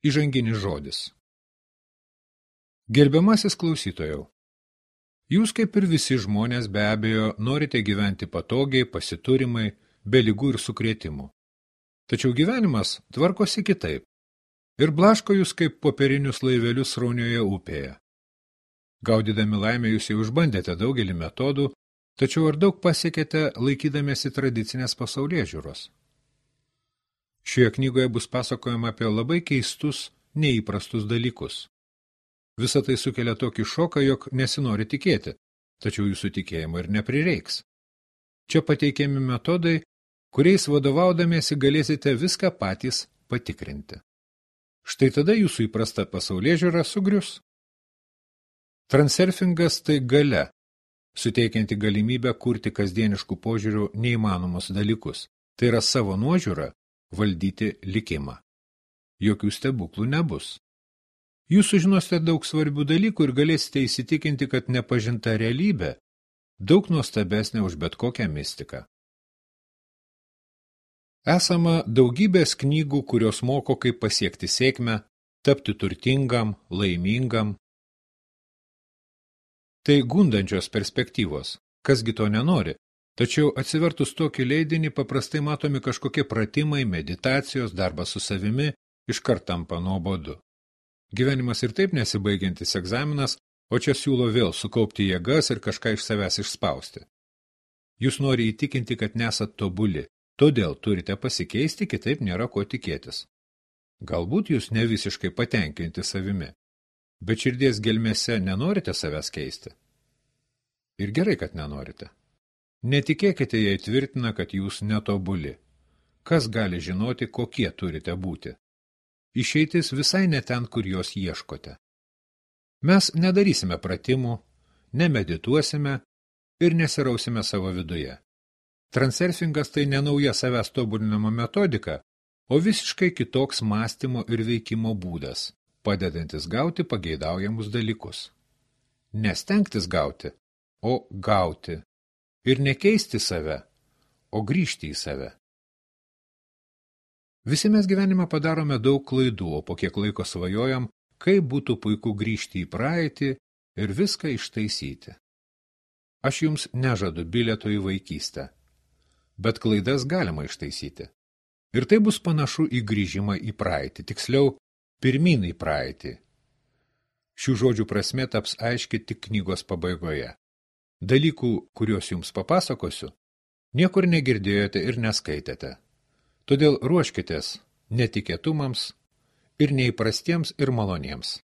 Įžanginis žodis. Gerbiamasis klausytojau, jūs kaip ir visi žmonės be abejo norite gyventi patogiai, pasiturimai, be ligų ir sukrėtimų. Tačiau gyvenimas tvarkosi kitaip ir blaško jūs kaip popierinius laivelius sraunioje upėje. Gaudydami laimę jūs jau išbandėte daugelį metodų, tačiau ar daug pasiekėte laikydamiesi tradicinės pasaulėžiūros? Šioje knygoje bus pasakojama apie labai keistus, neįprastus dalykus. Visa tai sukelia tokį šoką, jog nesinori tikėti, tačiau jūsų tikėjimo ir neprireiks. Čia pateikiami metodai, kuriais vadovaudamiesi galėsite viską patys patikrinti. Štai tada jūsų įprasta pasaulėžiūra sugrius. Transurfingas tai galia, suteikianti galimybę kurti kasdieniškų požiūrių neįmanomus dalykus. Tai yra savo nuožiūra valdyti likimą. Jokių stebuklų nebus. Jūs sužinosite daug svarbių dalykų ir galėsite įsitikinti, kad nepažinta realybė daug nuostabesnė už bet kokią mistiką. Esama daugybės knygų, kurios moko, kaip pasiekti sėkmę, tapti turtingam, laimingam. Tai gundančios perspektyvos, kasgi to nenori, tačiau atsivertus tokį leidinį paprastai matomi kažkokie pratimai, meditacijos, darbas su savimi, iškart tampa nuobodu. Gyvenimas ir taip nesibaigiantis egzaminas, o čia siūlo vėl sukaupti jėgas ir kažką iš savęs išspausti. Jūs nori įtikinti, kad nesat tobuli, todėl turite pasikeisti, kitaip nėra ko tikėtis. Galbūt jūs ne visiškai patenkinti savimi, bet širdies gelmėse nenorite savęs keisti. Ir gerai, kad nenorite. Netikėkite, jei tvirtina, kad jūs netobuli. Kas gali žinoti, kokie turite būti? Išeitis visai ne ten, kur jos ieškote. Mes nedarysime pratimų, nemedituosime ir nesirausime savo viduje. Transurfingas tai ne nauja savęs tobulinimo metodika, o visiškai kitoks mąstymo ir veikimo būdas, padedantis gauti pageidaujamus dalykus. Nestengtis gauti, o gauti. Ir nekeisti save, o grįžti į save. Visi mes gyvenime padarome daug klaidų, o po kiek laiko svajojam, kaip būtų puiku grįžti į praeitį ir viską ištaisyti. Aš jums nežadu bilieto į vaikystę, bet klaidas galima ištaisyti. Ir tai bus panašu į grįžimą į praeitį, tiksliau, pirmyn į praeitį. Šių žodžių prasmė taps aiški tik knygos pabaigoje. Dalykų, kuriuos jums papasakosiu, niekur negirdėjote ir neskaitėte. Todėl ruoškitės netikėtumams ir neįprastiems ir maloniems.